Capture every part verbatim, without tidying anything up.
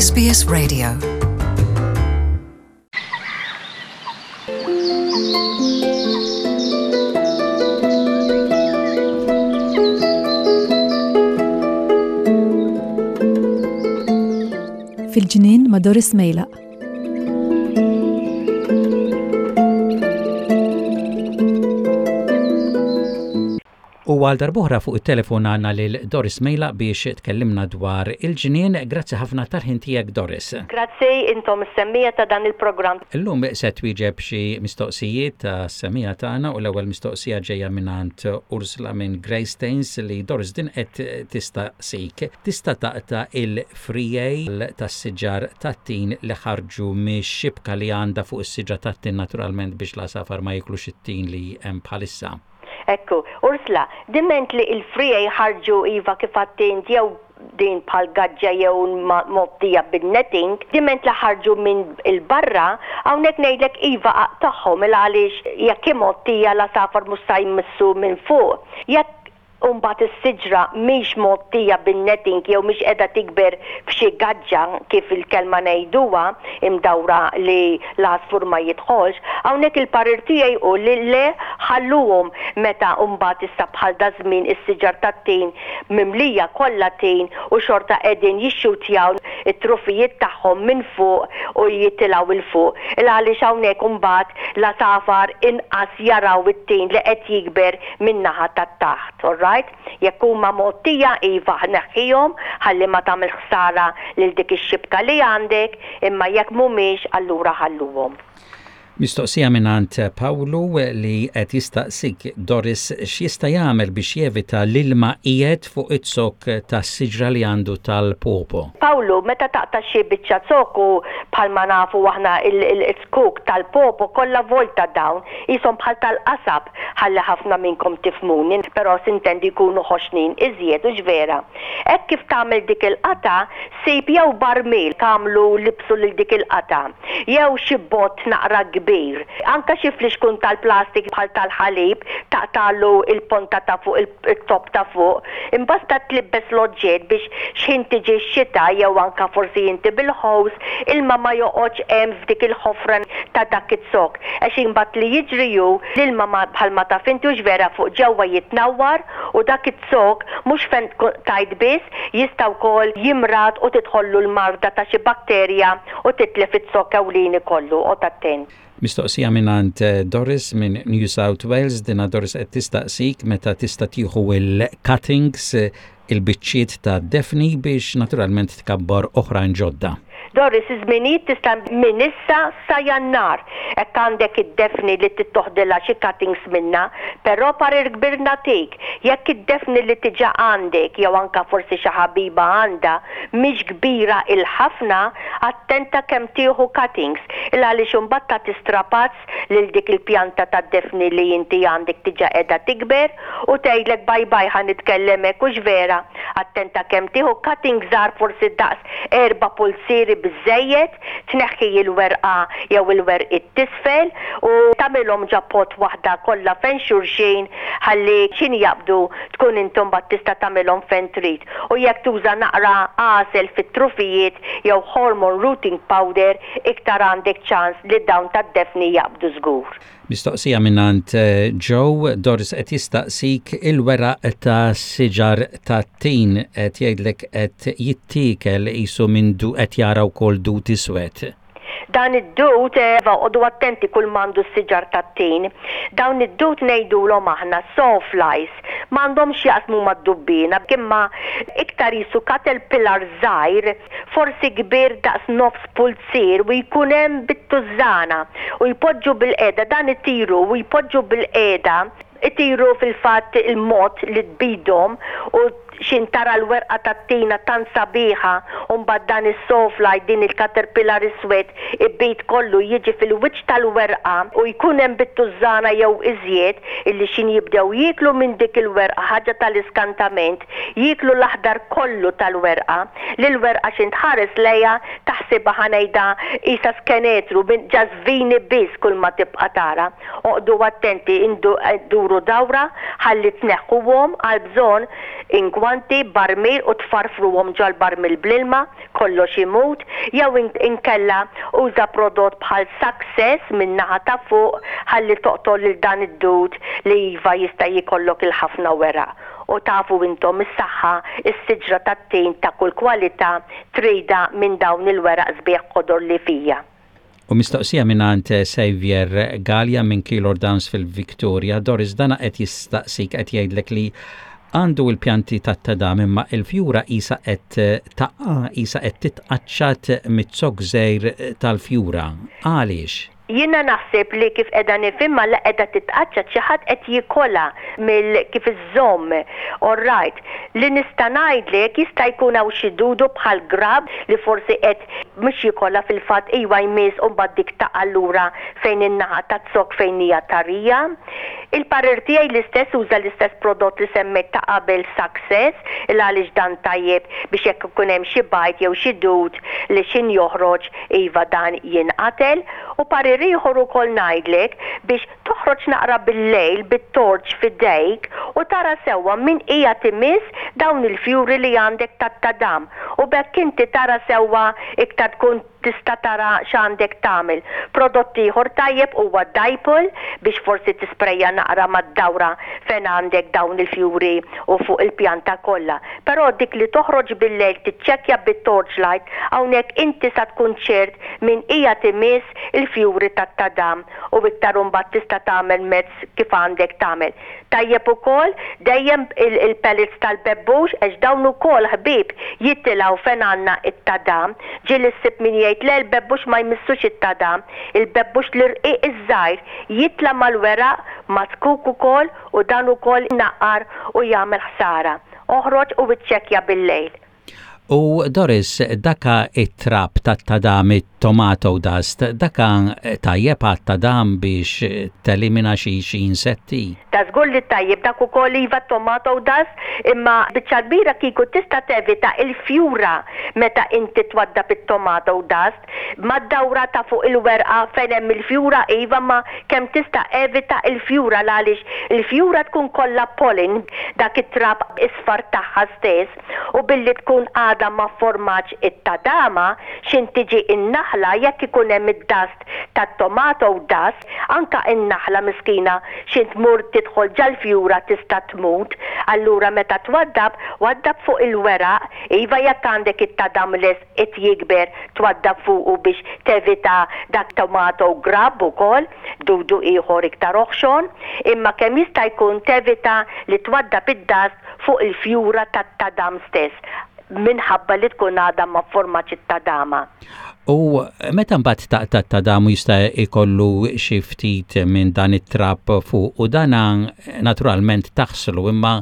S B S Radio. Fil-ġnien ma' Doris Mejlaq. U għal darb'oħra fuq it-telefon għandna lil Doris Mejlaq biex tkellimna dwar il-ġnien. Grazzi ħafna tal-ħin tiegħek, Doris. Grazzi intom is-semmiegħa ta' dan il-programm. Illum se twieġeb xi mistoqsijiet ta' semmiegħa tagħna u l-ewwel mistoqsija ġejja mingħand Ursula minn Greystanes li, Doris, din qed tistaqsik. Tista' taqta' il-friegħi tas-siġar tat-tin li ħarġu mix-xibka li għandha fuq is-siġra tat-tin, naturalment biex l-għasafar ma jiklux it-tin li hemm bħalissa? Ekku, Ursula, diment li il-friegħi ħarġu, iva, kif għedt jew din bħal gaġġa jew mgħottija bil-netting, diment li ħarġu minn il-barra, hawnhekk ngħidlek iva, aqtagħhom, il għaliex jekk imgħottija l-għasafar mhux sa jmissu minn fuq. Jekk Umbat is-siġra mhix mgħottija bin-netting jew mhix qiegħda tikber f'xi gaġġa, kif il-kelma ngħiduha, imdawra li l-għasfur ma jidħolx, hawnhekk il-parir tiegħi hu li le, ħalluhom. Meta mbagħad issa bħal da żmien is-siġar tat-tin mimlija kollha tin u xorta qegħdin jixxutjaw it-trufijiet tagħhom minn fuq u jitilgħu 'il fuq. Il għaliex hawnhekk imbagħad l-għasafar inqas jaraw it-tin li qed jikber min-naħa tat-taħt, all right? Jekk huma mgħottija, iva, neħħihom ħalli ma tagħmel ħsara lil dik ix-xibka li għandek, imma jekk mhumiex, allura ħalluhom. Mistoqsija mingħand Pawlu li qed jistaqsik, Doris, x'jista' jagħmel biex jevita l-ilma qiegħed fuq iz-zokk tas-siġra li għandu tal-pawpaw. Pawlu, meta taqta' xi biċċa zokk, bħalma nafu aħna il-zkuk tal-pawpaw kollha volta dawn, qishom bħal tal-qasab, ħalli ħafna minnkom tifhmuni, però s'intendi jkunu ħoxnin iżjed, u vera. Hekk kif tagħmel dik il-qata, sib jew barmil tagħmlu libsu lil dik il-qata, jew xi bott naqra kbir. Anka xi flixkun tal-plastik bħal tal-ħalib, taqtalu il-ponta ta' fuq, il-top ta' fuq. Imbasta tlibbes l-oġġett biex x'ħin tiġi x-xita jew anka forsi inti bil-hose, ilma ma joqgħodx hemm f'dik il-ħofra ta' dak iz-zokk. Għax imbagħad li jiġri hu l-ilma bħalma taf inti, hux vera, fuq ġewwa jitnawwar u dak iz-zokk mhux fejn tajt biss jista' wkoll jimrad u tidħollu l-marda ta' xi bakterja u titlef iz-zokk ewlieni kollu. Oqgħod attent. Mistoqsija mingħand Doris minn New South Wales, dina Doris qed tistaqsik meta tista' tieħu il-cuttings, il-biċċiet ta' Daphne, biex naturalment tkabbar oħrajn ġodda. Doris, iż-żminijiet tista' minn issa sa Jannar. Hekk għandek id-Daphne li tittoħdilha xi cuttings minna, però parir kbir nagħtik. Jekk id-Daphne li diġà għandek jew anka forsi xi ħabiba għandha mhix kbira il-ħafna, attenta kemm tieħu cuttings. Il għaliex imbagħad tagħti strapazz lil dik il-pjanta tad-Daphne li inti għandek diġà qiegħda tikber u tgħidlek bye bye, ħa nitkellem hekk, hux vera. Attenta kemm tieħu cutting żgħar, forsi daqs erba' pulzieri biżejjed, tneħħi il-werqa jew il-werqiet t'isfel u tagħmilhom ġo pot waħda kollha fejn xulxin ħalli x'ħin jaqbdu tkun intom mbagħad tista' tagħmilhom fejn trid. U jekk tuża naqra għasel fit-trufijiet jew hormone rooting powder, iktar għandek ċans li dawn tad-Daphne jaqbdu żgur. Mistoqsija mingħand Joe, Doris, qed jistaqsik il-weraq ta' siġar ta' tin, qed jgħidlek qed jittiekel qisu minn du, qed jara wkoll dud iswed. Dan id-dud, eva, oqogħdu attenti kull m'għandu s-siġar tat-tin. Dawn id-dud ngħidulhom aħna sawflies. M'għandhomx jaqsmu mad-dubbina, imma iktar qisu caterpillar żgħir, forsi kbir daqs nofs pulzier, u jkun hemm bit-tużżana u jpoġġu bil-qeda, dan itiru u jpoġġu bil-qeda, itiru fil-fatt il-mod li tbidhom, u x'ħin tara l-werqa tat-tina tant sabiħa u mbagħad dan is-sawfly, din il-caterpillar iswed, ibid kollu, jiġi fil-wiċċ tal-werqa u jkun hemm bit-tużżana jew iżjed illi x'ħin jibdew jieklu minn dik il-werqa, ħaġa tal-iskantament, jieklu l-aħdar kollu tal-werqa, li l-werqa x'ħin tħares lejha taħsibha Taħsibha, ħa ngħidha, qisha skenetru, ġażvini biss kull ma tibqa' tara. Oqogħdu attenti, duru dawra ħalli tneħħuhom. Għal bżonn ingwanti, barmil u tfarfruhom ġol-barmil bl-ilma, kollox imut, jew inkella uża prodott bħal Success minn naħa ta' fuq ħalli toqtol lil dan id-dud li iva jista' jikollok il-ħafna weraq. U tafu intom is-saħħa, is-siġra tat-tin ta' kull kwalità tridha minn dawn il-weraq sbieħ ħodor li fija. U mistoqsija mingħand Xavier Gallia minn Keilor Downs fil-Victoria. Doris, dana qed jistaqsik, qed jgħidlek li għandu il-pjanti tat-tadam imma il-fjura qisha qed taqa', qisha qed titqaċċat miz-zokk żgħir tal-fjura. Għaliex? Jiena naħseb li kif qiegħda nifhimha la qiegħda titqaċċat, xi ħadd qed jikolha mill kif iżomm. All right. Li nista' ngħidlek, jista' jkun hawn xi dudu bħal grub li forsi qed mhux jikolha, fil-fatt iwa jmiss u mbagħad dik taqa' lura fejn in-naħa taz-zokk fejn hija tarija. Il-parir tiegħi l-istess, uża l-istess prodott li semmejt ta' qabel, Success, il għaliex dan tajjeb biex jekk ikun hemm xi bajd jew xi dud li xin joħroġ, iva, dan jinqatel. U parir ieħor ukoll ngħidlek biex toħroġ naqra bil-lejl bit-torch f'idejk u tara sewwa min qiegħed imiss dawn il-fjuri li għandek tat-tadam. U b'hekk inti tara sewwa iktar, tkun tista' tara x'għandek tagħmel. Prodott ieħor tajjeb huwa Dipel biex forsi tisprejja naqra mad-dawra fejn għandek dawn il-fjuri u fuq il-pjanta kollha. Però dik li toħroġ bil-lejl, tiċċekkja bit-torchlight, hawnhekk inti sa tkun ċert min qiegħed imiss il-fjuri tat-tadam u iktar mbagħad tista' tagħmel mezz kif għandek tagħmel. Tajjeb ukoll dejjem il-pellets tal-bebbux, għax dawn ukoll, ħbieb, jitilgħu fejn għandna it-tadam. Ġieli ssib min jgħid, "Le, l-bebbux ma jmissux it-tadam." Il-bebbux l-irqiq iż-żgħir jitla' mal-weraq ma' zkuk ukoll u dan ukoll naqqar u jagħmel ħsara. Oħroġ u iċċekkja bil-lejl. U Doris, daka it-trab tat-tadam, tomato dust, daka tajjeb għat-tadam biex telimina xi xi insetti? Ta' żgur li tajjeb dak ukoll, iva, tomato dust, imma biċċa kbira kieku tista' tevita il-fjura meta inti twaddab it-tomato dust mad-dawra ta' fuq il-werqa fejn hemm il-fjura, iva, ma kemm tista' evita il-fjura, għaliex il-fjura tkun kollha pollen, dak it-trab isfar tagħha stess, u billi tkun għada ma formatx it-tadama, xin tiġi in-naħla, jekk ikun hemm id-dust tat-tomato dust, anka in-naħla miskina xin tmur tidħol ġal-fjura tista' tmut. Allura meta twaddab, waddab fuq il-weraq, iva, jekk għandek it-tadam lest qed jikber, twaddab fuqu biex tevita dak tomato grub ukoll, dudu ieħor iktar oħxon, imma kemm jista' jkun tevita li twaddab id-dust fuq il-fjura tat-tadam stess minħabba li tkun għadha ma formatx it-tadama. U meta mbagħad taqta' tadam jista' jkollu xi ftit minn dan it-trab fuq u dana naturalment taħslu, imma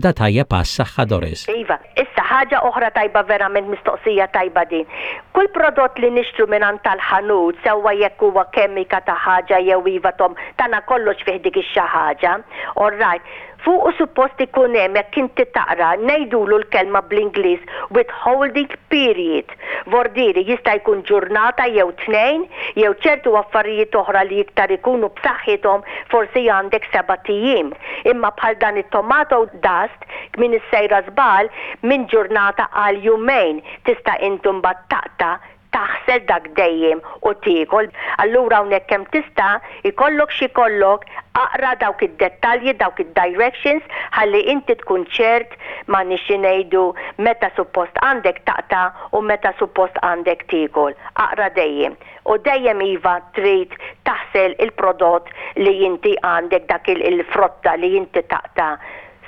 da tajjeb għas-saħħa, Doris? Iva, issa ħaġa oħra tajba verament, mistoqsija tajba din. Kull prodott li nixtru minn tal-ħanut, sewwa jekk huwa kemika ta' ħaġa jew iva tom tana kollox fih dik ix ħaġa. All right. Fuq u suppost ikun hemm, jekk inti taqra, ngħidulu l-kelma bl-Ingliż withholding period. Vordiri jista' jkun ġurnata jew tnejn, jew ċertu affarijiet oħra li iktar ikunu b'saħħithom forsi għandek sebat ijiem. Imma bħal dan it-tomato dust, min is-sejra żball, minn ġurnata għal jumejn tista' intum mbagħad taqta', taħsel dak dejjem u tiekol. Allura hawnhekk kemm tista' ikollok xi kollok, aqra dawk id-dettalji, dawk id-directions, ħalli inti tkun ċert ma nixi ngħidu meta suppost għandek taqta' u meta suppost għandek tiekol. Aqra dejjem. U dejjem, iva, trid taħsel il-prodott li inti għandek, dak il-frotta li inti taqta',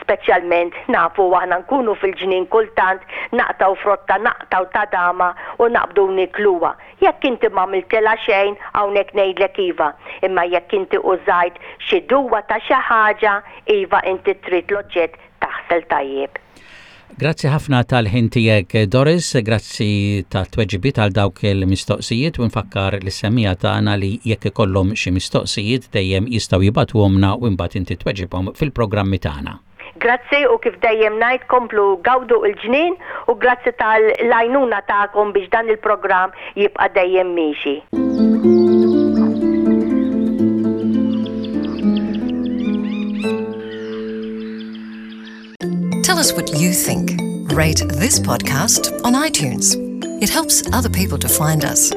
speċjalment nafu aħna nkunu fil-ġnien kultant naqtgħu frotta, naqtgħu tadama u naqbdu nikluha. Jekk inti ma għamiltilha xejn, hawnhekk ngħidlek iva, imma jekk inti użajt xi duwa ta' xi ħaġa, iva, inti trid l-oġġett taħsel tajjeb. Grazzi ħafna tal-ħin tiegħek, Doris, grazzi tat-tweġibiet għal dawk il-mistoqsijiet u nfakkar lis-semmiegħa tagħna li jekk ikollhom xi mistoqsijiet dejjem jistgħu jibagħtuhomlna u mbagħad inti tweġibhom fil-programmi tagħna. Grazzi u kif dejjem ngħid, komplu gawdu il-ġnien u grazzi tal-għajnuna tagħkom biex dan il-programm jibqa' dejjem miexi. Tell us what you think. Rate this podcast on iTunes. It helps other people to find us.